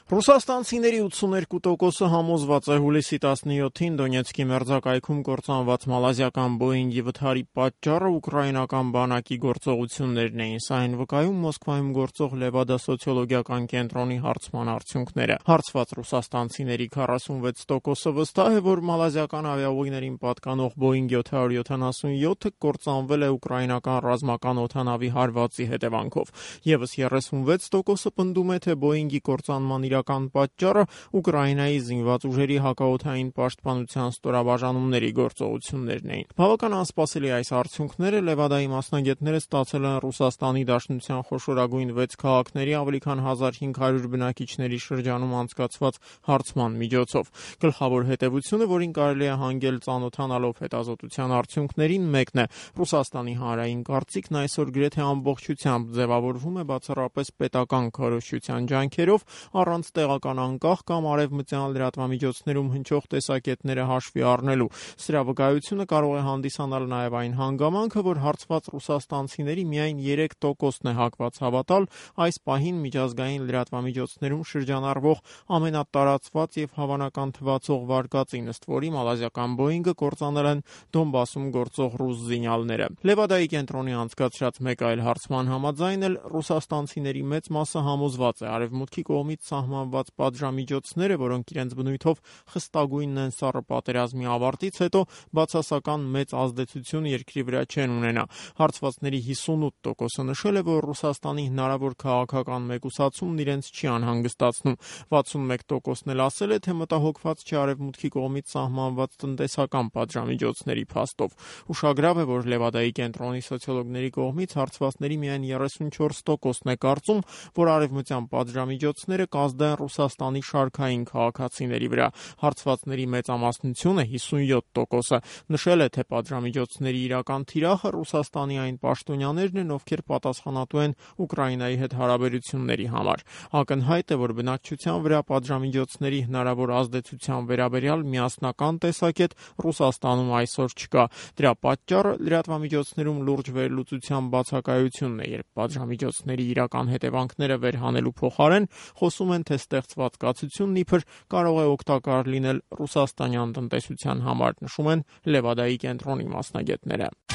Ռուսաստանցիների 82%-ը համոզված է հուլիսի 17-ին Դոնեցկի մերձակայքում կործանված մալազիական Բոինգի վթարի պատճառը ուկրաինական բանակի գործողություններն էին։ Սա են վկայում Մոսկվայում գործող Լևադա սոցիոլոգիական կենտրոնի հարցման արդյունքները։ Հարցված ռուսաստանցիների 46%-ը վստահ է, որ մալազիական ավիաուղիներին պատկանող Բոինգ 777-ը կործանվել է ուկրաինական ռազմական օդանավի հարվածի հետևանքով։ Եվս 36%-ը պնդում է, թե Բոինգի կործանման իրական պատճառը Ուկրաինայի զինված ուժերի հակաօդային պաշտպանության ստորաբաժանումների գործողություններն էին։ Բավական անսպասելի այս արդյունքները Լևադայի մասնագետները ստացել են Ռուսաստանի Դաշնության խոշորագույն 6 քաղաքների ավելի քան 1500 բնակիչների շրջանում անցկացված հարցման միջոցով։ Գլխավոր հետևությունը, որին կարելի է հանգել ծանոթանալով հետազոտության արդյունքներին, մեկն է. Ռուսաստանի հանրային կարծիքն այսօր գրեթե ամբողջությամբ ձևավորվում է բացառապես պետական քարոզչության ջանքերով, առանց տեղական անկախ կամ արևմտյան լրատվամիջոցներում հնչող տեսակետները հաշվի առնելու։ Սրա վկայությունը կարող է հանդիսանալ նաև այն հանգամանքը, որ հարցված ռուսաստանցիների միայն 3%-ն է հակված հավատալ այս պահին միջազգային լրատվամիջոցներում շրջանառվող ամենատարածված եւ հավանական թվացող վարկածին, ըստ որի մալազիական Բոինգը կործանել են Դոնբասում գործող ռուս զինյալները։ Լևադայի կենտրոնի անցկացրած մեկ այլ հարցման համաձայն էլ ռուսաստանցիների մեծ մասը համոզված է արևմուտքի կողմից սահմանված պատժամիջոցները, որոնք իրենց բնույթով խստագույնն են սառը պատերազմի ավարտից հետո, բացասական մեծ ազդեցություն երկրի վրա չեն ունենա։ Հարցվածների 58%-ը նշել է, որ Ռուսաստանի հնարավոր քաղաքական մեկուսացումն իրենց չի անհանգստացնում։ 61%-ն էլ ասել է, թե մտահոգված չէ արևմուտքի կողմից սահմանված տնտեսական պատժամիջոցների փաստով։ Ուշագրավ է, որ Լևադայի կենտրոնի սոցիոլոգների կողմից հարցվածների միայն 34%-ն է կարծում, որ արևմտյան պատժամիջոցները կազդեն Ռուսաստանի շարքային քաղաքացիների վրա։ Հարցվածների մեծամասնությունը 57%-ը նշել է, թե պատժամիջոցների իրական թիրախը Ռուսաստանի այն պաշտոնյաներն են, ովքեր պատասխանատու են Ուկրաինայի հետ հարաբերությունների համար։ Ակնհայտ է, որ բնակչության վրա պատժամիջոցների հնարավոր ազդեցության վերաբերյալ միասնական տեսակետ Ռուսաստանում այսօր չկա։ Դրա պատճառը լրատվամիջոցներում լուրջ վերլուծության բացակայությունն է, երբ պատժամիջոցների իրական հետևանքները վերհանելու փոխարեն խոսում են, թե ստեղծված կացությունն իբր կարող է օգտակար լինել ռուսաստանյան տնտեսության համար, նշում են Լևադայի կենտրոնի մասնագետները։